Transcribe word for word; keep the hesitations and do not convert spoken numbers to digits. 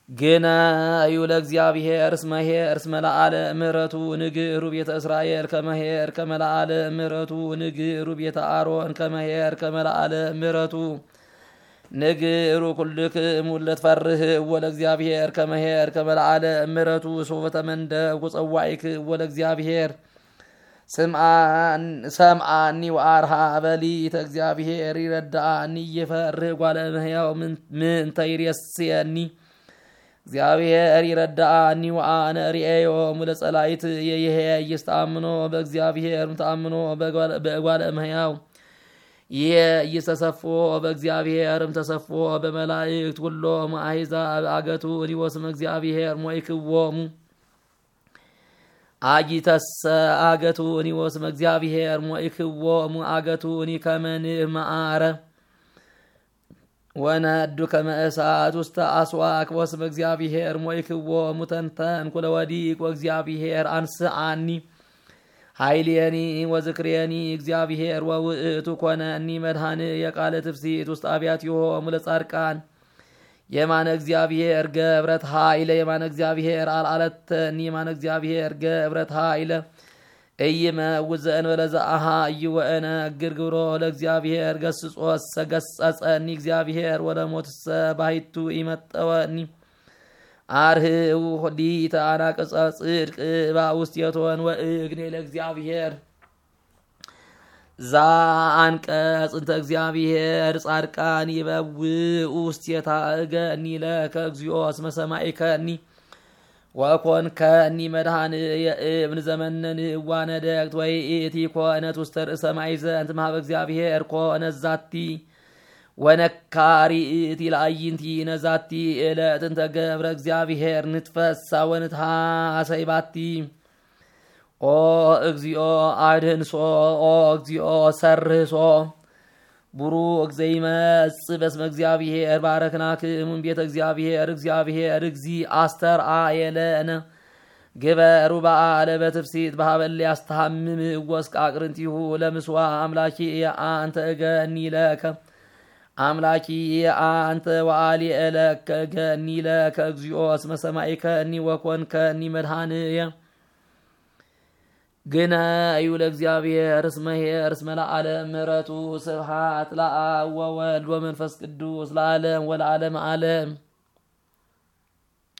ግነዩ ለእግዚአብሔር እስመ ኄር እስመ ለዓለ ምሕረቱ ንግሩ ቤተ እስራኤል ከመ ኄር ከመ ለዓለ ምሕረቱ ንግሩ ቤተ አሮን ከመ ኄር ከመ ለዓለ ምሕረቱ ንግሩ ኩልክሙ ለትፈርህዎ ለእግዚአብሔር ከመ ኄር ከመ ለዓለ ምሕረቱ ሶበ ተመንደብኩ ጸዋዒክዎ ለእግዚአብሔር ሰምዓኒ ወአርሃ በሊተ እግዚአብሔር ይረድአኒ ይፈርህ ጓለ እመሕያው ምንተ ይሬስየኒ እግዚአብሔር ይረድአኒ ወአነ ርእዮሙ ለጸላኢትየ ይሄይስ ተአምኖ በእግዚአብሔር ተአምኖ በእጓለ እመሕያው ይሄይስ ተሰፍዎ በእግዚአብሔር ተሰፍዎ በመላእክት ኩሎሙ አሕዛብ አገቱኒ ወስመ እግዚአብሔር ሞይክዎሙ አጊተሰ አገቱኒ ወስመ እግዚአብሔር ሞይክዎሙ አገቱኒ ከመ ንብ መዓረ ወነዱ ከመ እሳት ውስተ አስዋክ ወስመ እግዚአብሔር ሞይክዎሙ ተንተንኩ ለወዲቅ ወእግዚአብሔር አንስአኒ ኃይሌኒ ወዝክሬኒ እግዚአብሔር ወውእቱ ኮነኒ መድኃኒየ ቃለ ትፍሲት ውስተ አብያቲሆሙ ለጻድቃን የማነ እግዚአብሔር ገብረት ኃይለ የማነ እግዚአብሔር አልዓለተኒ የማነ እግዚአብሔር ገብረት ኃይለ እይመውት ዘእንበለ ዘአሃዩ ወእነግር ግብሮ ለእግዚአብሔር ገስጾሰ ገሰጸኒ እግዚአብሔር ወለሞትሰ ባሕቱ ኢመጠወኒ አርህው ሊተ አናቅጸ ጽድቅ እባ ውስቴቶን ወእግኔ ለእግዚአብሔር ዛአንቀጽ እንተ እግዚአብሔር ጻድቃን ይበውኡ ውስቴታ እገኒ ለከ እግዚኦ እስመ ሰማዒከኒ ወኮንከኒ መድኃኒየ እብን ዘመነን እዋነ ደቅት ወይእቲ ኮነት ውስተ ርእሰ ማዕዘንት ማህበ እግዚአብሔር ኮነት ዛቲ ወነካሪ እቲ ለአይንቲነ ዛቲ እለት እንተ ገብረ እግዚአብሔር ንትፈሳ ወንትሃሰይ ባቲ ኦ እግዚኦ አድህንሶ ኦ እግዚኦ ሰርህሶ ቡሩክ ዘይመጽእ በስመ እግዚአብሔር ባረክናክሙ እምቤተ እግዚአብሔር እግዚአብሔር እግዚእ አስተርአየ ለነ ግበሩ በዓለ በትፍሲት በሀበ እለ ያስተሐምም ወስቅ አቅርንቲሁ ለምስዋ አምላኪ አንተ እገኒ ለከ አምላኪ አንተ ወአሊ እለከ እገኒ ለከ እግዚኦ እስመ ሰማዒከኒ ወኮንከኒ መድኃኒየ ግነዩ ለእግዚአብሔር እስመ ኄር እስመ ለዓለም ምሕረቱ ስብሐት ለአብ ወወልድ ወመንፈስ ቅዱስ ለዓለም ወለዓለመ ዓለም።